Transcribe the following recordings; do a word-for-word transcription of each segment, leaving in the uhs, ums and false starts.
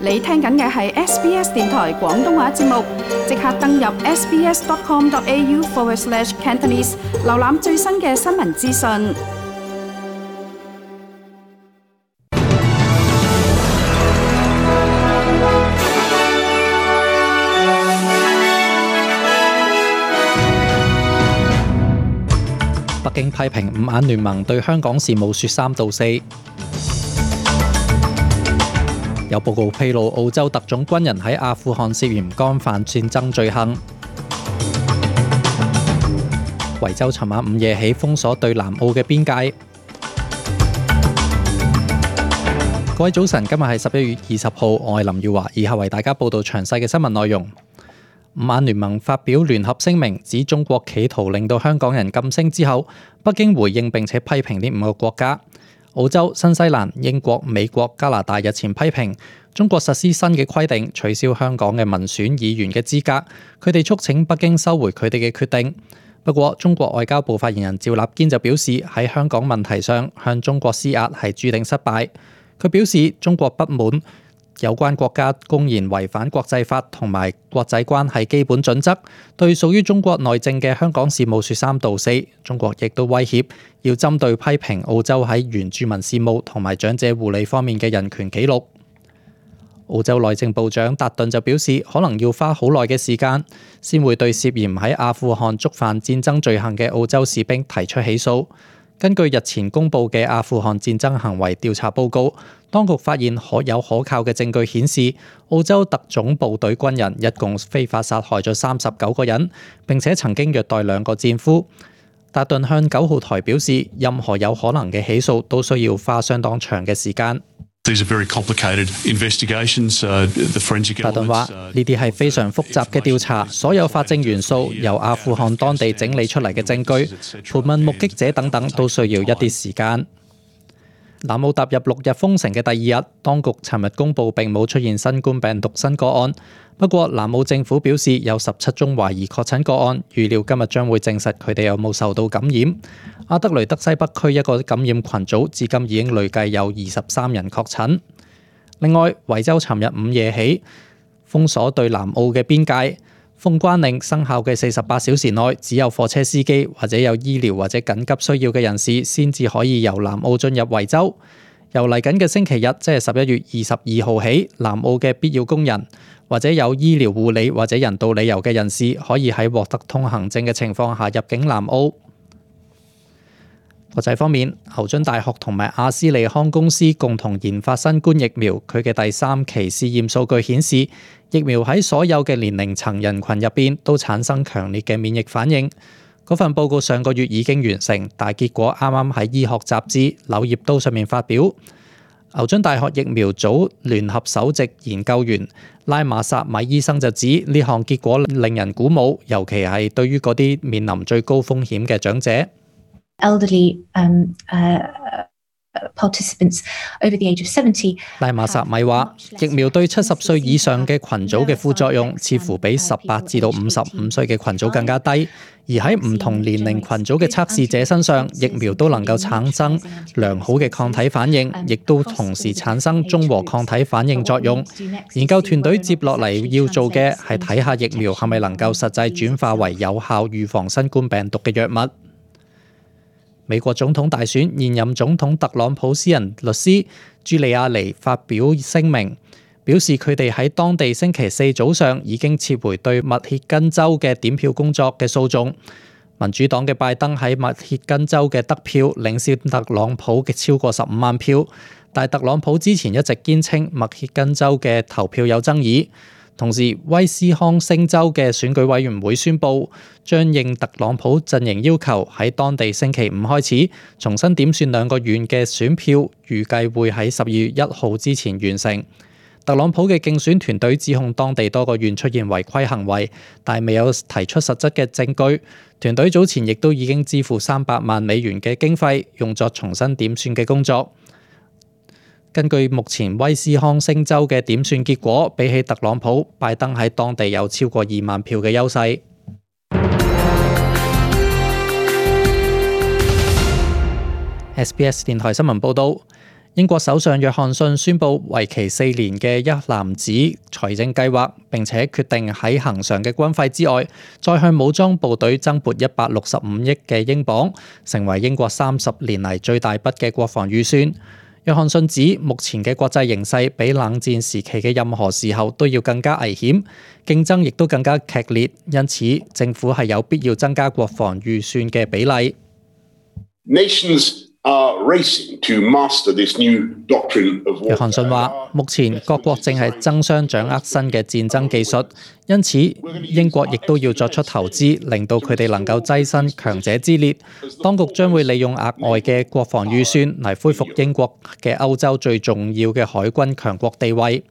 你聽緊嘅係 S B S 電台廣東話節目，即刻登入 sbs.com.au forward slash Cantonese， 瀏覽最新嘅新聞資訊。北京批評五眼聯盟對香港事務說三道四。有報告披露，澳洲特種軍人喺阿富汗涉嫌干犯戰爭罪行。維州尋晚午夜起封鎖對南澳嘅邊界。各位早晨，今日係十一月二十號，我係林耀華，以下為大家報道詳細嘅新聞內容。五眼聯盟發表聯合聲明，指中國企圖令到香港人噤聲之後，北京回應並且批評呢五個國家。澳洲、新西蘭、英國、美國、加拿大日前批評中國實施新嘅規定，取消香港嘅民選議員嘅資格。佢哋促請北京收回佢哋嘅決定。不過，中國外交部發言人趙立堅就表示，喺香港問題上向中國施壓係注定失敗。佢表示，中國不滿有關國家公然違反國際法同埋國際關係基本準則，對屬於中國內政嘅香港事務說三道四。中國亦都威脅要針對批評澳洲喺原住民事務同埋長者護理方面嘅人權紀錄。澳洲內政部長達頓就表示，可能要花好耐嘅時間先會對涉嫌喺阿富汗觸犯戰爭罪行嘅澳洲士兵提出起訴。根據日前公布嘅阿富汗戰爭行為調查報告，當局發現可有可靠嘅證據顯示，澳洲特種部隊軍人一共非法殺害咗三十九個人，並且曾經虐待兩個戰俘。達頓向九號台表示，任何有可能嘅起訴都需要花相當長嘅時間。These are very complicated investigations. Uh, the forensic elements. 達頓話：呢啲係非常複雜嘅調查，所有法證元素由阿富汗當地整理出嚟嘅證據、盤問目擊者等等，都需要一啲時間。南澳踏入六日封城嘅第二日，當局尋日公布並冇出現新冠病毒新個案。不過，南澳政府表示有十七宗懷疑確診個案，預料今日將會證實佢哋有冇受到感染。阿德雷德西北區一個感染群組至今已經累計有二十三人確診。另外，維州尋日午夜起封鎖對南澳嘅邊界，封關令生效嘅四十八小時內，只有貨車司機或者有醫療或者緊急需要嘅人士先至可以由南澳進入維州。由嚟緊嘅星期日，即係十一月二十二號起，南澳嘅必要工人或者有醫療護理或者人道理由嘅人士，可以喺獲得通行證嘅情況下入境南澳。國際方面，牛津大學同埋阿斯利康公司共同研發新冠疫苗，佢嘅第三期試驗數據顯示，疫苗喺所有嘅年齡層人群入邊都產生強烈嘅免疫反應。嗰份報告上個月已經完成，但結果啱啱喺醫學雜誌《柳葉刀》上面發表。牛津大學疫苗組聯合首席研究員拉馬薩米醫生就指，呢項結果令人鼓舞，尤其係對於嗰啲面臨最高風險嘅長者。Elderly, um, uh, participants over the age of seventy. 拉馬薩米話，疫苗對七十歲以上嘅群組嘅副作用似乎比十八至到五十五歲嘅群組更加低，而喺唔同年齡群組嘅測試者身上，疫苗都能夠產生良好嘅抗體反應，亦都同時產生中和抗體反應作用。研究團隊接落嚟要做嘅係睇下疫苗係咪能夠實際轉化為有效預防新冠病毒嘅藥物。美國總統大選，現任總統特朗普私人律師朱利亞尼發表聲明，表示佢哋喺當地星期四早上已經撤回對密歇根州嘅點票工作嘅訴訟。民主黨嘅拜登喺密歇根州嘅得票領先特朗普嘅超過十五萬票，但特朗普之前一直堅稱密歇根州嘅投票有爭議。同時，威斯康星州嘅選舉委員會宣布，將應特朗普陣營要求，喺當地星期五開始重新點算兩個縣嘅選票，預計會喺十二月一號之前完成。特朗普嘅競選團隊指控當地多個縣出現違規行為，但未有提出實質嘅證據。團隊早前亦都已經支付三百萬美元嘅經費，用作重新點算嘅工作。根據目前威斯康星州嘅點算結果，比起特朗普，拜登喺當地有超過二萬票嘅優勢。S B S 電台新聞報導，英國首相約翰遜宣布為期四年嘅一籃子財政計劃，並且決定喺恆常嘅軍費之外，再向武裝部隊增撥一百六十五億嘅英鎊，成為英國三十年嚟最大筆嘅國防預算。約翰遜指，目前嘅國際形勢比冷戰時期嘅任何時候都要更加危險，競爭亦都更加劇烈，因此政府係有必要增加國防預算嘅比例。Nations are racing to master this new doctrine of war. 約翰遜話：目前各國正係爭相掌握新嘅戰爭技術，因此英國亦都要作出投資，令到佢哋能夠躋身強者之列。當局將會利用額外嘅國防預算嚟恢復英國嘅歐洲最重要嘅海軍強國地位。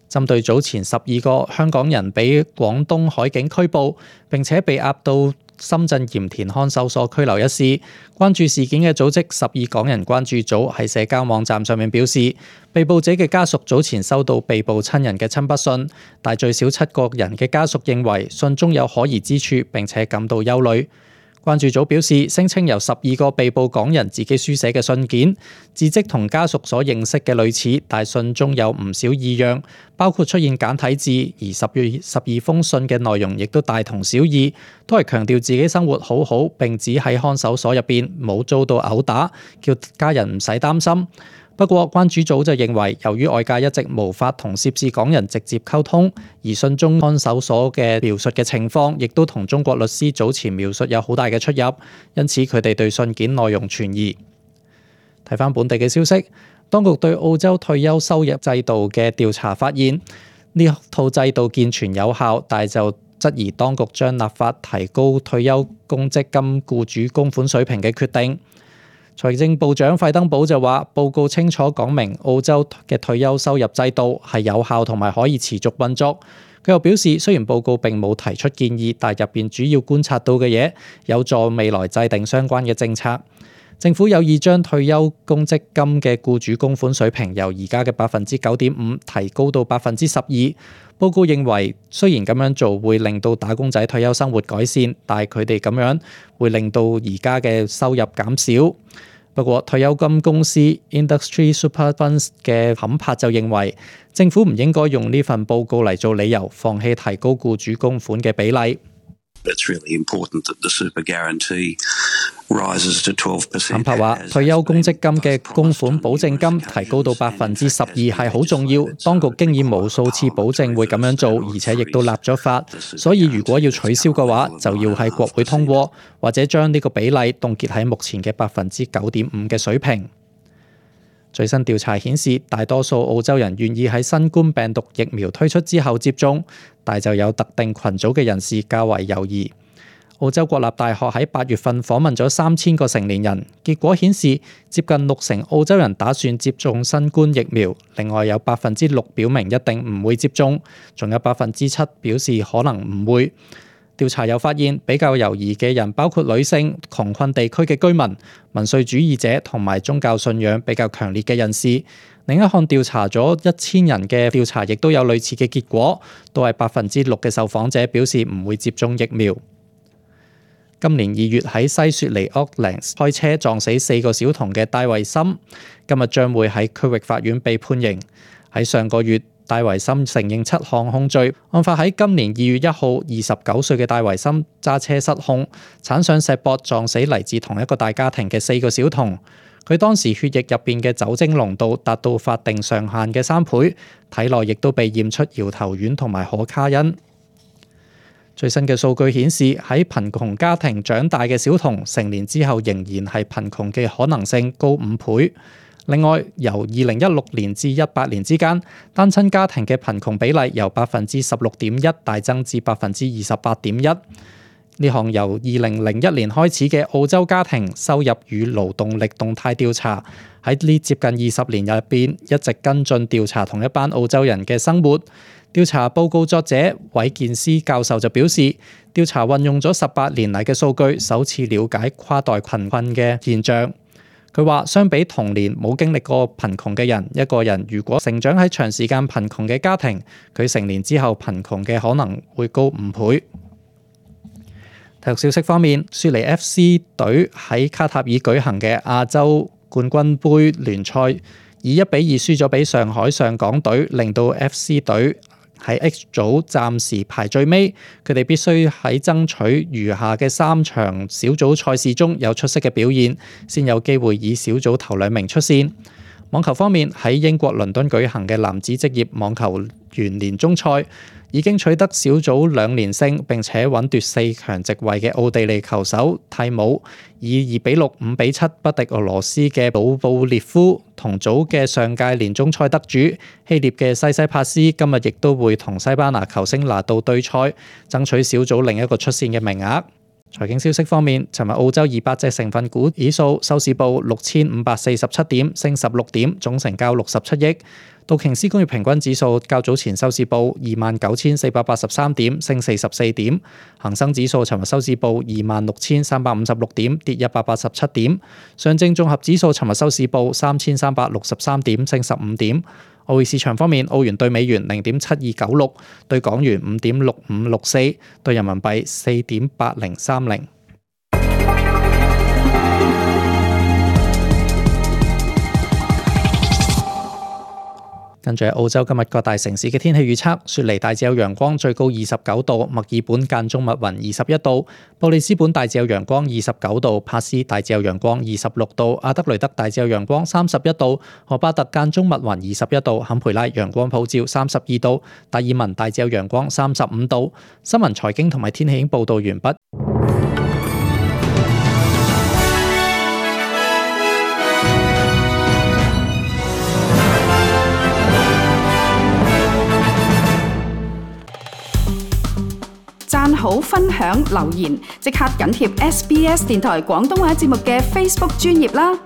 針對早前十二個香港人被廣東海警拘捕，並且被押到深圳鹽田看守所拘留一事，關注事件嘅組織十二港人關注組喺社交網站上面表示，被捕者嘅家屬早前收到被捕親人嘅親筆信，但最少七個人嘅家屬認為信中有可疑之處，並且感到憂慮。關注組表示，聲稱由十二個被捕港人自己書寫嘅信件，字跡同家屬所認識嘅類似，但信中有唔少異樣，包括出現簡體字，而十月十二封信嘅內容亦都大同小異，都係強調自己生活好好，並指喺看守所入邊冇遭到毆打，叫家人唔使擔心。不過，關注組就認為，由於外界一直無法同涉事港人直接溝通，而信中看守所嘅描述嘅情況，亦都同中國律師早前描述有好大嘅出入，因此佢哋對信件內容存疑。睇返本地嘅消息，當局對澳洲退休收入制度嘅調查發現，呢套制度健全有效，但係就質疑當局將立法提高退休公積金僱主供款水平嘅決定。財政部長費登堡就話，報告清楚講明澳洲嘅退休收入制度係有效同埋可以持續運作。佢又表示，雖然報告並冇提出建議，但入邊主要觀察到嘅嘢有助未來制定相關嘅政策。政府有意將退休公積金嘅僱主供款水平由而家嘅百分之九點五提高到百分之十二。報告認為，雖然咁樣做會令到打工仔退休生活改善，但係佢哋咁樣會令到而家嘅收入減少。不過，退休金公司 Industry Super Funds 嘅坎柏就認為，政府唔應該用呢份報告嚟做理由，放棄提高僱主供款嘅比例。坎柏話：退休公積金嘅供款保證金提高到百分之十二係好重要，當局經已無數次保證會咁樣做，而且亦都立咗法，所以如果要取消嘅話，就要喺國會通過，或者將呢個比例凍結喺目前嘅百分之九點五嘅水平。最新調查顯示，大多數澳洲人願意喺新冠病毒疫苗推出之後接種，但就有特定群組嘅人士較為猶豫。澳洲國立大學喺八月份訪問咗三千個成年人，結果顯示接近六成澳洲人打算接種新冠疫苗，另外有百分之六表明一定唔會接種，仲有百分之七表示可能唔會。調查又發現，比較猶豫嘅人包括女性、窮困地區嘅居民、民粹主義者同埋宗教信仰比較強烈嘅人士。另一項調查咗一千人嘅調查，亦都有類似嘅結果，都係百分之六嘅受訪者表示唔會接種疫苗。今年二月喺西雪梨 Auckland 開車撞死四個小童嘅戴維森，今日將會喺區域法院被判刑。喺上個月，戴維森承認七項控罪。案發喺今年二月一號，二十九歲嘅戴維森揸車失控，鏟上石壆撞死嚟自同一個大家庭嘅四個小童。佢當時血液入邊嘅酒精濃度達到法定上限嘅三倍，體內亦都被驗出搖頭丸同埋可卡因。最新嘅數據顯示，喺貧窮家庭長大嘅小童，成年之後仍然係貧窮嘅可能性高五倍。另外，由二零一六年至一八年之間，單親家庭嘅貧窮比例由百分之十六點一大增至百分之二十八點一。呢項由二零零一年開始嘅澳洲家庭收入與勞動力動態調查，喺呢接近二十年入邊一直跟進調查同一班澳洲人嘅生活。調查報告作者韋健斯教授就表示，調查運用咗十八年嚟嘅數據，首次了解跨代貧困嘅現象。佢話，相比童年冇經歷過貧窮嘅人，一個人如果成長喺長時間貧窮嘅家庭，佢成年之後貧窮嘅可能會高五倍。體育消息方面，雪梨 F C 隊喺卡塔爾舉行嘅亞洲冠軍杯聯賽，以一比二輸咗俾上海上港隊，令到 F C 隊喺 H 組暫時排最尾。佢哋必須喺爭取餘下嘅三場小組賽事中有出色嘅表現，先有機會以小組頭兩名出線。網球方面，喺英國倫敦舉行嘅男子職業網球員年終賽，已經取得小組兩連勝並且穩奪四強席位嘅奧地利球手蒂姆，以二比六、五比七不敵俄羅斯嘅保布列夫。同組嘅上屆年終賽得主希臘嘅西西帕斯今日亦都會同西班牙球星拿度對賽，爭取小組另一個出線嘅名額。財經消息方面，尋日澳洲二百隻成分股指數收市報六千五百四十七點，升十六點，總成交六十七億。道瓊斯工業平均指數較早前收市報二萬九千四百八十三點，升四十四點。恒生指數尋日收市報二萬六千三百五十六點，跌一百八十七點。上證綜合指數尋日收市報三千三百六十三點，升十五點。外匯市場方面，澳元對美元零點七二九六，對港元五點六五六四，對人民幣四點八零三零。跟住澳洲今日各大城市嘅天氣預測：雪梨大致有陽光，最高二十九度；墨爾本間中密雲，二十一度；布里斯本大致有陽光，二十九度；帕斯大致有陽光，二十六度；阿德雷德大致有陽光，三十一度；荷巴特間中密雲，二十一度；坎培拉陽光普照，三十二度；達爾文大致有陽光，三十五度。新聞財經同埋天氣已經報道完畢。讚好、分享、留言，即刻緊貼 S B S 電台廣東話節目嘅 Facebook 專頁啦！